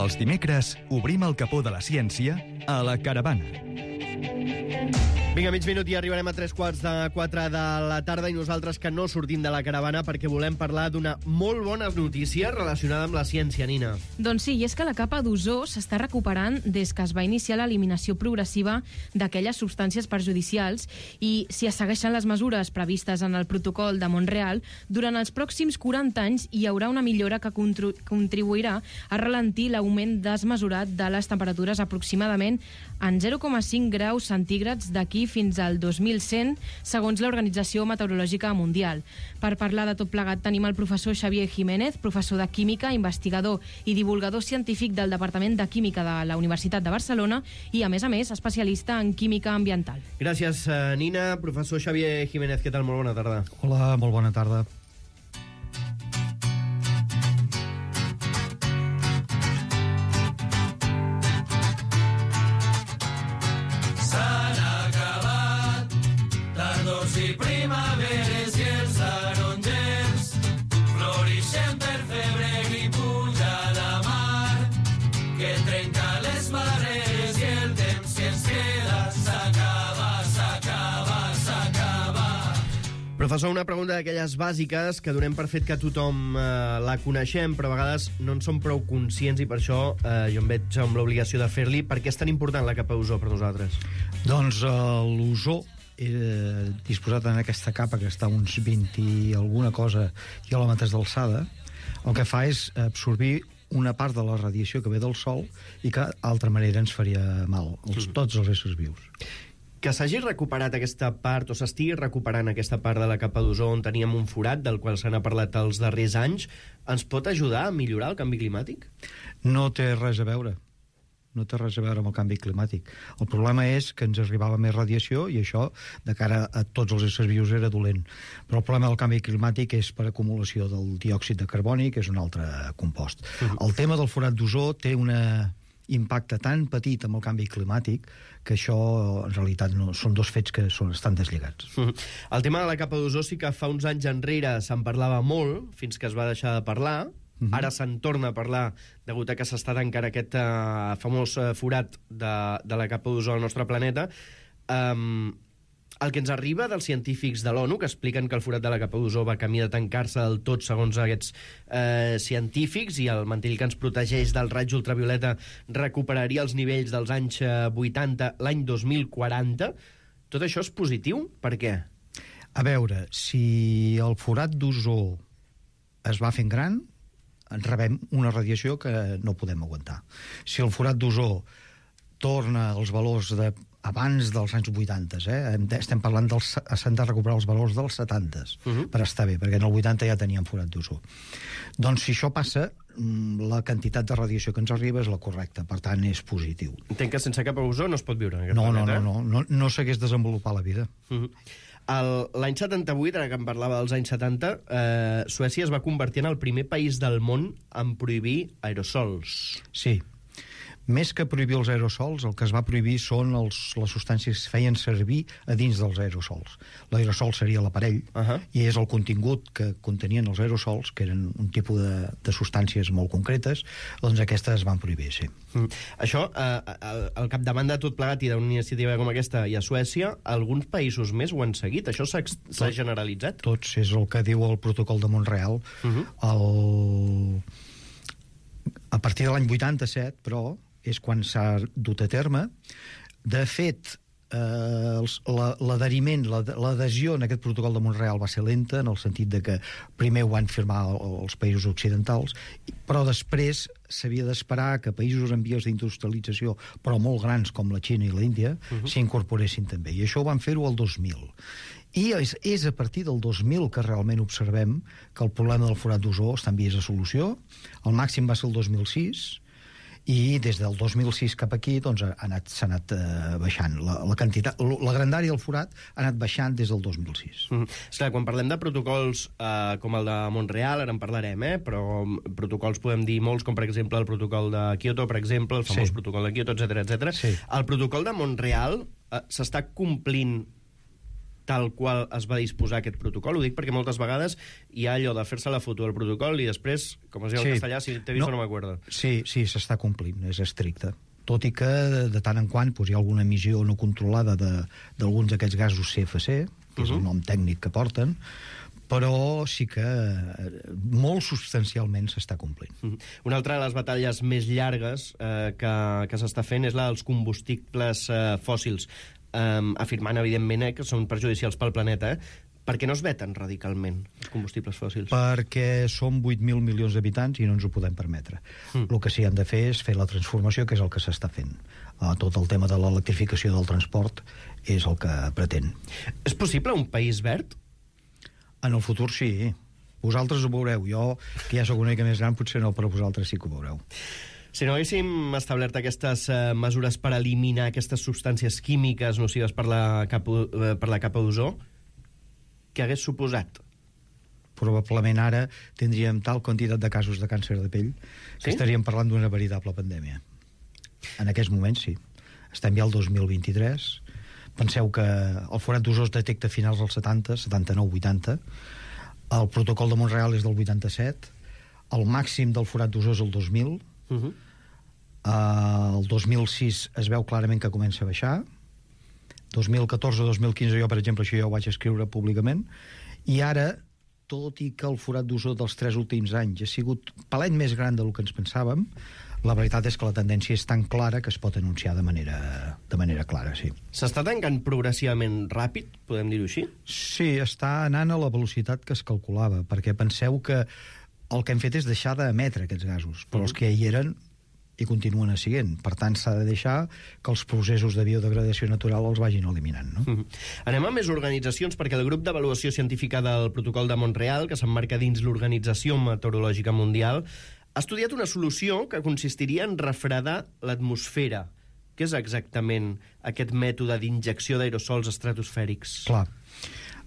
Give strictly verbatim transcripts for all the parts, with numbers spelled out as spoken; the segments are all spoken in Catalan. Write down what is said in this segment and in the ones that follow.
Els dimecres obrim el capó de la ciència a la Caravana. Vinga, mig minut i arribarem a tres quarts de quatre de la tarda i nosaltres que no sortim de la Caravana perquè volem parlar d'una molt bona notícia relacionada amb la ciència, Nina. Doncs sí, i és que la capa d'ozó s'està recuperant des que es va iniciar l'eliminació progressiva d'aquelles substàncies perjudicials i si es segueixen les mesures previstes en el protocol de Montreal, durant els pròxims quaranta anys hi haurà una millora que contribuirà a ralentir l'augment desmesurat de les temperatures aproximadament en zero coma cinc graus centígrads d'aquí fins al dos mil cent, segons l'Organització Meteorològica Mundial. Per parlar de tot plegat tenim el professor Xavier Jiménez, professor de Química, investigador i divulgador científic del Departament de Química de la Universitat de Barcelona i, a més a més, especialista en química ambiental. Gràcies, Nina. Professor Xavier Jiménez, què tal? Molt bona tarda. Hola, molt bona tarda. I primaveres i els tarongers florixen per febrer i puja la mar que trenca les barreres i el temps que ens queda s'acaba, s'acaba, s'acaba. Professor, una pregunta d'aquelles bàsiques que donem per fet que tothom eh, la coneixem, però a vegades no en som prou conscients i per això eh, jo em veig amb l'obligació de fer-li. Per què és tan important la capa d'ozó per nosaltres? Doncs eh, l'ozó Eh, disposat en aquesta capa que està a uns vint i alguna cosa quilòmetres d'alçada, el que fa és absorbir una part de la radiació que ve del Sol i que d'altra manera ens faria mal, els, tots els éssers vius. Que s'hagi recuperat aquesta part, o s'estigui recuperant aquesta part de la capa d'ozó on teníem un forat, del qual se n'ha parlat els darrers anys, ens pot ajudar a millorar el canvi climàtic? No té res a veure. No té res a veure amb el canvi climàtic. El problema és que ens arribava més radiació i això, de cara a tots els éssers vius, era dolent. Però el problema del canvi climàtic és per acumulació del diòxid de carboni, que és un altre compost. Uh-huh. El tema del forat d'ozó té un impacte tan petit amb el canvi climàtic que això, en realitat, no, són dos fets que són, estan deslligats. Uh-huh. El tema de la capa d'ozó sí que fa uns anys enrere se'n parlava molt, fins que es va deixar de parlar. Uh-huh. Ara se'n torna a parlar degut a que s'està tancant aquest uh, famós uh, forat de, de la capa d'ozó al nostre planeta. Um, el que ens arriba dels científics de l'ONU, que expliquen que el forat de la capa d'ozó va camí de tancar-se del tot segons aquests uh, científics, i el mantell que ens protegeix del raig ultravioleta recuperaria els nivells dels anys uh, vuitanta l'any dos mil quaranta. Tot això és positiu? Per què? A veure, si el forat d'ozó es va fent gran, ens rebem una radiació que no podem aguantar. Si el forat d'ozó torna als valors de abans dels anys vuitanta, eh? estem parlant dels, s'han de recuperar els valors dels setanta uh-huh. per estar bé, perquè en el vuitanta ja teníem forat d'ozó. Doncs si això passa, la quantitat de radiació que ens arriba és la correcta, per tant és positiu. Entenc que sense capa d'ozó no es pot viure en aquest no, planeta. No, no, no, no, no s'hagués desenvolupat la vida. Uh-huh. L'any setanta-vuit, ara que em parlava dels anys setanta, eh, Suècia es va convertir en el primer país del món en prohibir aerosols. Sí. Més que prohibir els aerosols, el que es va prohibir són els, les substàncies que es feien servir a dins dels aerosols. L'aerosol seria l'aparell, uh-huh. i és el contingut que contenien els aerosols, que eren un tipus de, de substàncies molt concretes, doncs aquestes es van prohibir, sí. Mm. Això, eh, al, al capdavant de tot plegat i d'una iniciativa com aquesta i a Suècia, alguns països més ho han seguit? Això s'ha, s'ha generalitzat? Tots, és el que diu el protocol de Montreal. Uh-huh. El... A partir de l'any vuitanta-set, però, és quan s'ha dut a terme. De fet, eh, l'adheriment, l'adhesió en aquest protocol de Montreal va ser lenta, en el sentit de que primer ho van firmar els països occidentals, però després s'havia d'esperar que països en vies d'industrialització, però molt grans com la Xina i l'Índia, uh-huh. s'incorporessin també. I això ho van fer-ho el dos mil. I és, és a partir del dos mil que realment observem que el problema del forat d'ozó està en vies de solució. El màxim va ser el dos mil sis, i des del dos mil sis cap aquí doncs, ha anat, s'ha anat eh, baixant la, la quantitat, la grandària del forat ha anat baixant des del dos mil sis. Mm. Esclar, quan parlem de protocols eh, com el de Montreal, ara en parlarem, eh? però protocols podem dir molts, com per exemple el protocol de Kyoto, per exemple, el famós sí. protocol de Kyoto, etcètera, etcètera. Sí. El protocol de Montreal eh, s'està complint tal qual es va disposar aquest protocol? Ho dic perquè moltes vegades hi ha allò de fer-se la foto del protocol i després, com es diu en Sí. castellà, si t'he vist No. no, no m'acuerdo. Sí, sí, s'està complint, és estricte. Tot i que de tant en quant doncs, hi ha alguna emissió no controlada de- d'alguns d'aquests gasos C F C, que és el Mhm. nom tècnic que porten, però sí que eh, molt substancialment s'està complint. Mhm. Una altra de les batalles més llargues eh, que, que s'està fent és la dels combustibles eh, fòssils, eh, afirmant, evidentment, eh, que són perjudicials pel planeta. Eh? Per què no es veten radicalment els combustibles fòssils? Perquè som vuit mil milions d'habitants i no ens ho podem permetre. Mm. El que sí que han de fer és fer la transformació, que és el que s'està fent. Uh, tot el tema de l'electrificació del transport és el que pretén. És possible un país verd? En el futur sí. Vosaltres ho veureu. Jo, que ja sóc una mica més gran, potser no, però vosaltres sí que ho veureu. Si no haguéssim establert aquestes eh, mesures per eliminar aquestes substàncies químiques nocives per la capa, eh, per la capa d'ozó, què hagués suposat? Probablement ara tindríem tal quantitat de casos de càncer de pell que Sí? estaríem parlant d'una veritable pandèmia. En aquests moments sí. Estem ja al dos mil vint-i-tres. Penseu que el forat d'ozó es detecta a finals dels setanta, setanta-nou, vuitanta. El protocol de Montreal és del vuitanta-set. El màxim del forat d'ozó és el dos mil. Uh -huh. Uh, el dos mil sis es veu clarament que comença a baixar. dos mil catorze dos mil quinze jo, per exemple, això ja ho vaig escriure públicament. I ara, tot i que el forat d'ozó dels tres últims anys ha sigut palet més gran del que ens pensàvem, la veritat és que la tendència és tan clara que es pot anunciar de manera, de manera clara, sí. S'està tancant progressivament ràpid, podem dir-ho així? Sí, està anant a la velocitat que es calculava, perquè penseu que el que hem fet és deixar d'emetre aquests gasos, però els que hi eren i continuen siguent. Per tant, s'ha de deixar que els processos de biodegradació natural els vagin eliminant, no? Mhm. Anem a més organitzacions, perquè el grup d'avaluació científica del protocol de Montreal, que s'emmarca dins l'Organització Meteorològica Mundial, ha estudiat una solució que consistiria en refredar l'atmosfera. Què és exactament aquest mètode d'injecció d'aerosols estratosfèrics? Clar.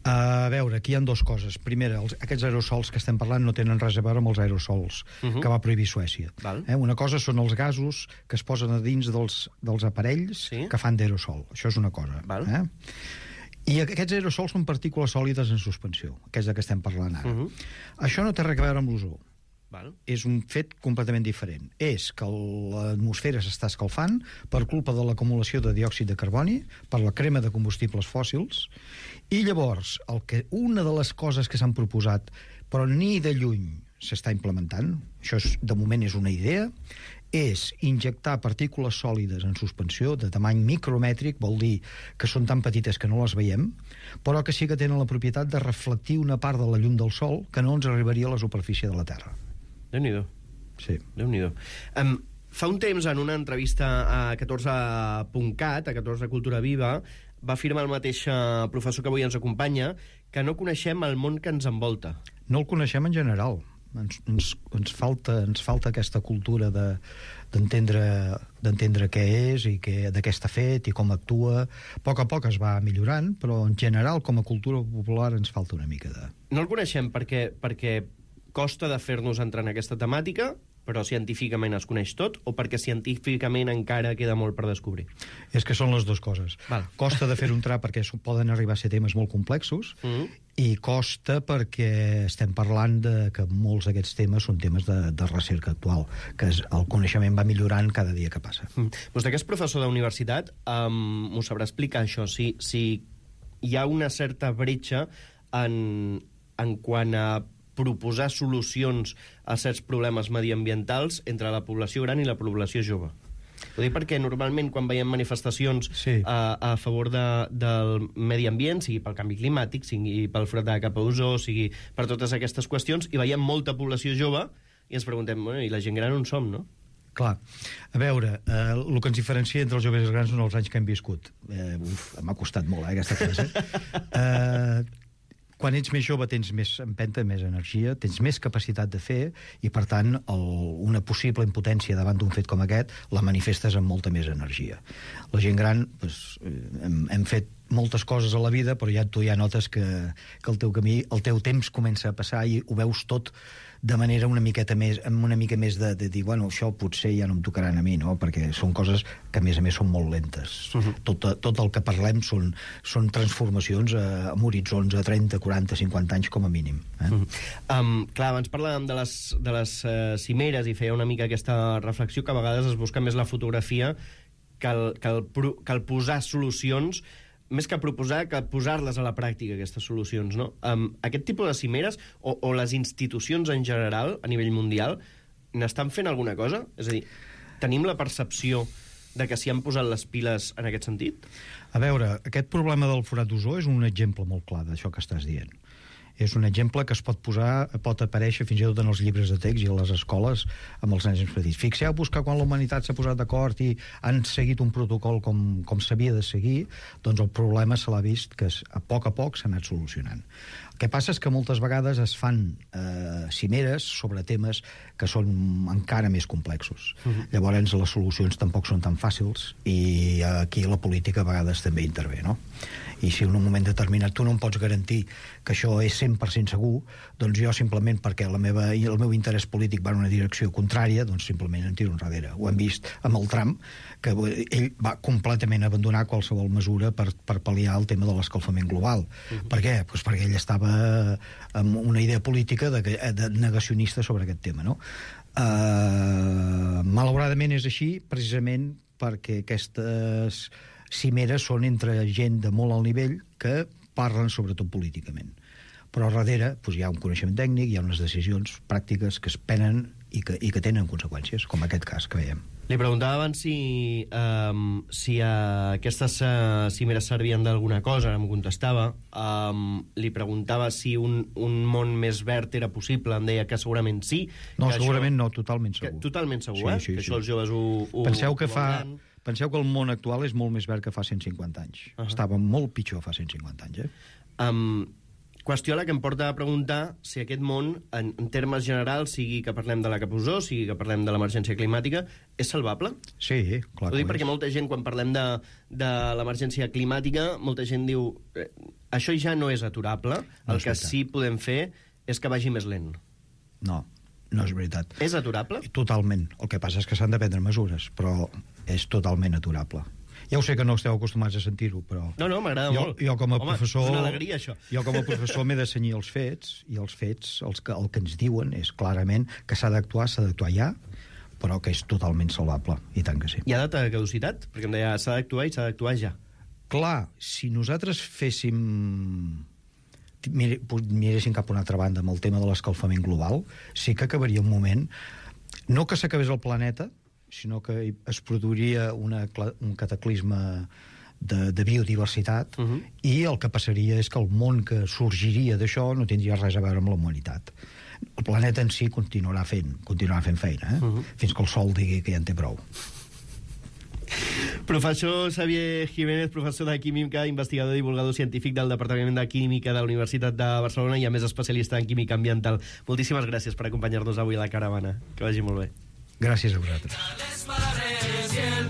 A veure, aquí hi ha dues coses. Primera, els, aquests aerosols que estem parlant no tenen res a veure amb els aerosols Uh -huh. que va prohibir Suècia. Val. Eh? Una cosa són els gasos que es posen a dins dels, dels aparells Sí. que fan d'aerosol. Això és una cosa. Val. Eh? I aquests aerosols són partícules sòlides en suspensió, que és de què estem parlant ara. Uh -huh. Això no té res a veure amb l'ozó. Val. És un fet completament diferent. És que l'atmosfera s'està escalfant per culpa de l'acumulació de diòxid de carboni, per la crema de combustibles fòssils, i llavors el que, una de les coses que s'han proposat, però ni de lluny s'està implementant, això és, de moment és una idea, és injectar partícules sòlides en suspensió de tamany micromètric, vol dir que són tan petites que no les veiem, però que sí que tenen la propietat de reflectir una part de la llum del sol que no ens arribaria a la superfície de la Terra. Déu-n'hi-do. Sí. Déu-n'hi-do. Um, fa un temps, en una entrevista a catorze punt cat, a catorze Cultura Viva, va afirmar el mateix eh, professor que avui ens acompanya que no coneixem el món que ens envolta. No el coneixem en general. Ens, ens, ens, falta, ens falta aquesta cultura de, d'entendre, d'entendre què és i què, de què està fet i com actua. A poc a poc es va millorant, però en general, com a cultura popular, ens falta una mica de... No el coneixem perquè, perquè costa de fer-nos entrar en aquesta temàtica, però científicament es coneix tot, o perquè científicament encara queda molt per descobrir? És que són les dues coses. Val. Costa de fer-ho entrar perquè poden arribar a ser temes molt complexos, Mm. i costa perquè estem parlant de que molts d'aquests temes són temes de, de recerca actual, que és, el coneixement va millorant cada dia que passa. Mm. Vostè, que és professor d'universitat, um, m'ho sabrà explicar, això, si, si hi ha una certa bretxa en, en quant a proposar solucions a certs problemes mediambientals entre la població gran i la població jove. Ho dic perquè normalment quan veiem manifestacions Sí. a, a favor de, del medi ambient, sigui pel canvi climàtic, sigui pel forat de capa d'ozó, sigui per totes aquestes qüestions, i veiem molta població jove i ens preguntem, bueno, i la gent gran on som, no? Clar, a veure, eh, el que ens diferencia entre els joves i els grans són els anys que hem viscut. Eh, uf, m'ha costat molt, eh, aquesta frase. eh, quan ets més jove tens més empenta, més energia, tens més capacitat de fer i, per tant, el, una possible impotència davant d'un fet com aquest la manifestes amb molta més energia. La gent gran, doncs, hem, hem fet moltes coses a la vida, però ja tu ja notes que, que el teu camí, el teu temps comença a passar i ho veus tot de manera una miqueta més, amb una mica més de, de dir, bueno, això potser ja no em tocaran a mi, no? Perquè són coses que a més a més són molt lentes. Uh-huh. tot, tot el que parlem són, són transformacions a, amb horitzons a trenta, quaranta, cinquanta anys com a mínim. Eh? Uh-huh. um, clar, abans parlàvem de les, de les uh, cimeres i feia una mica aquesta reflexió que a vegades es busca més la fotografia que el, que el, que el posar solucions, més que proposar, que posar-les a la pràctica, aquestes solucions, no? Um, aquest tipus de cimeres, o, o les institucions en general, a nivell mundial, n'estan fent alguna cosa? És a dir, tenim la percepció de que s'hi han posat les piles en aquest sentit? A veure, aquest problema del forat d'ozó és un exemple molt clar d'això que estàs dient. És un exemple que es pot posar, pot aparèixer fins i tot en els llibres de text i a les escoles amb els nens petits. Fixeu-vos que quan la humanitat s'ha posat d'acord i han seguit un protocol com, com s'havia de seguir, doncs el problema se l'ha vist que a poc a poc s'ha anat solucionant. El que passa és que moltes vegades es fan eh, cimeres sobre temes que són encara més complexos. Uh-huh. Llavors les solucions tampoc són tan fàcils i aquí la política a vegades també intervé, no? I si en un moment determinat tu no em pots garantir que això és cent per cent segur, doncs jo simplement perquè la meva, el meu interès polític va en una direcció contrària, doncs simplement em tiro enrere. Ho hem vist amb el Trump, que ell va completament abandonar qualsevol mesura per, per pal·liar el tema de l'escalfament global. Uh-huh. Per què? Pues perquè ell estava amb una idea política de, de negacionista sobre aquest tema, no? Uh, malauradament és així, precisament perquè aquestes cimeres són entre gent de molt alt nivell que parlen sobretot políticament. Però a darrere doncs, hi ha un coneixement tècnic, hi ha unes decisions pràctiques que es prenen i que, i que tenen conseqüències, com aquest cas que veiem. Li preguntava abans si, um, si uh, aquestes uh, cimeres servien d'alguna cosa, em contestava. Um, li preguntava si un, un món més verd era possible, em deia que segurament sí. No, que segurament això, no, totalment segur. Que, totalment segur, sí, eh? Sí, que sí. això els joves ho, ho Penseu que ho fa... veuran. Penseu que el món actual és molt més verd que fa cent cinquanta anys. Uh-huh. Estava molt pitjor fa cent cinquanta anys, eh? Um, qüestió a la que em porta a preguntar si aquest món, en, en termes generals, sigui que parlem de la capozó, sigui que parlem de l'emergència climàtica, és salvable? Sí, clar. Ho dic perquè molta gent, quan parlem de, de l'emergència climàtica, molta gent diu eh, això ja no és aturable, no el que veritat. sí podem fer és que vagi més lent. No, no és veritat. És aturable? Totalment. El que passa és que s'han de prendre mesures, però és totalment aturable. Ja ho sé que no esteu acostumats a sentir-ho, però... No, no, m'agrada molt. Jo com a Home, professor... és una alegria, això. Jo com a professor m'he de cenyir els fets, i els fets, els que, el que ens diuen és clarament que s'ha d'actuar, s'ha d'actuar ja, però que és totalment salvable, i tant que sí. Hi ha data de caducitat? Perquè em deia, s'ha d'actuar i s'ha d'actuar ja. Clar, si nosaltres féssim... miréssim cap a una altra banda amb el tema de l'escalfament global, sí que acabaria un moment, no que s'acabés el planeta, sinó que es produiria una, un cataclisme de, de biodiversitat, uh-huh. i el que passaria és que el món que sorgiria d'això no tindria res a veure amb la humanitat. El planeta en si continuarà fent, continuarà fent feina, eh? uh-huh. fins que el Sol digui que ja en té prou. Professor Xavier Jiménez, professor de Química, investigador i divulgador científic del Departament de Química de la Universitat de Barcelona i a més especialista en química ambiental. Moltíssimes gràcies per acompanyar-nos avui a la caravana. Que vagi molt bé. Gràcies a vosaltres. Les marees y el